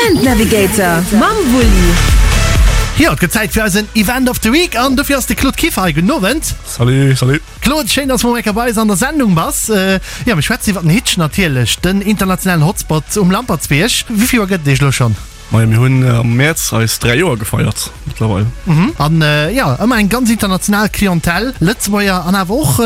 Event Navigator mam Wulli. Jo, et gëtt Zäit fir eisen Event of the Week an dofir ass de Claude Kieffer hei. Gudden Owend. Salut, salut. Claude, schéin, dass du mol eng Kéier bei eis an der Sendung bass. Jo, mir schwätzen iwwer den Hitch natierlech, den internationalen Hotspot um Lampertsbierg. Wéi vill Joer gëtt et Iech elo schonn? Majo, mir hunn am Mäerz eis 3 Joer gefeiert mëttlerweil. An jo, ëmmer eng ganz international Clientèle, Lëtzebuerger an awer och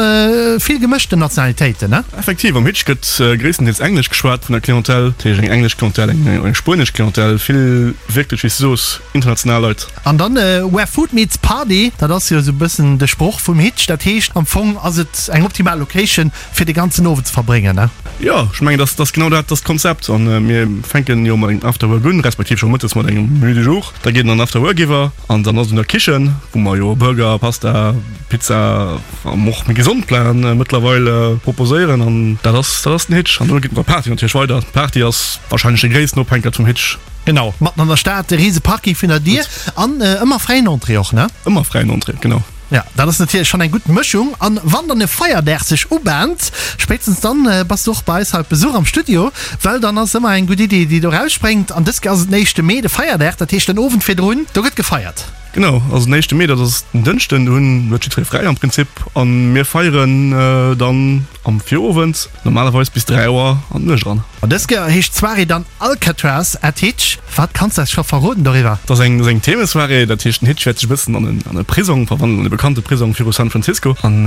vill gemëschten Nationalitéiten, ne? Effektiv, am Hitch gëtt gréisstendeels Englesch geschwat vun der Clientèle, dat heescht eng englesch Clientèle, eng spuenesch Clientèle, vill wierklech, wéi s de soos, international Leit. An dann Where food meets party, dat ass jo esou e bëssen de Sproch vum Hitch. Dat heescht am Fong ass et eng optimal Location fir de ganzen Owend ze verbréngen, ne? Jo, ech mengen dat ass genau dat ass d'Konzept. An mir fänken jo mat engem Afterwork un, respektiv scho mëttes mat engem Menu du jour. Da geet et an den Afterwork iwwer an dann ass et un der Kichen, wou mer jo Burger, Pasta, Pizza an och méi gesond Platen mëttlerweil proposéieren. An dat ass dat ass den Hitch. An dono geet et mat der Party natierlech weider. D'Party ass warscheinlech de gréissten Ophänkert vum Hitch. Genau, matten an der Stad, de riese Parking virun der Dier an ëmmer fräien Entrée och, ne? Ëmmer fräien Entrée, genau. Ja, dat ass natierlech schonn eng gutt Mëschung. An wann dann e Feierdag sech ubahnt, spéitstens dann bass du och bei eis hei op Besuch am Studio, well dann ass ëmmer eng gutt Idee, déi do rausspréngt. An dës Kéier ass et den éischte Mee, de Feierdag, dat heescht den Owend virdrun, do gëtt gefeiert. Genau, also den éischte Mee, dat ass den Dënschden, do hunn huet jiddweree fräi am Prinzip an mir feieren dann am Virowend, normalerweis bis 3 Auer an d'Nuecht eran. An dës Kéier heescht d'Soirée dann Alcatraz at Hitch. Wat kanns de eis scho verroden doriwwer? Dat ass eng eng Themesoirée, dat heescht den Hitch wäert sech e bëssen an en an e Prisong verwandelen, an e bekannte Prisong viru San Francisco. An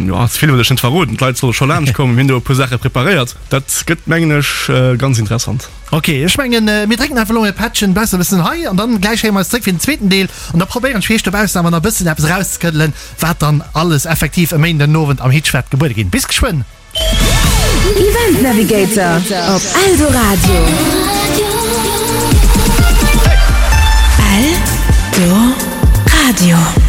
jo, ze vill wëll ech net verroden, d'Leit solle scho laanscht kommen, mir hunn do e puer Saache preparéiert, dat gëtt mengen ech ganz interessant. Ok, ech mengen mir drécken einfach elo e Pättchen, bleiws e bëssen hei an dann gläich héiere mer eis zréck fir den zweeten Deel an da probéieren ech fir iech dobaussen awer nach e bëssen eppes erauszekëddelen, wat dann alles effektiv e Méinden den Owend am Hitch wäert gebuede ginn. Bis geschwënn! Event Navigator op Eldoradio. Eldoradio.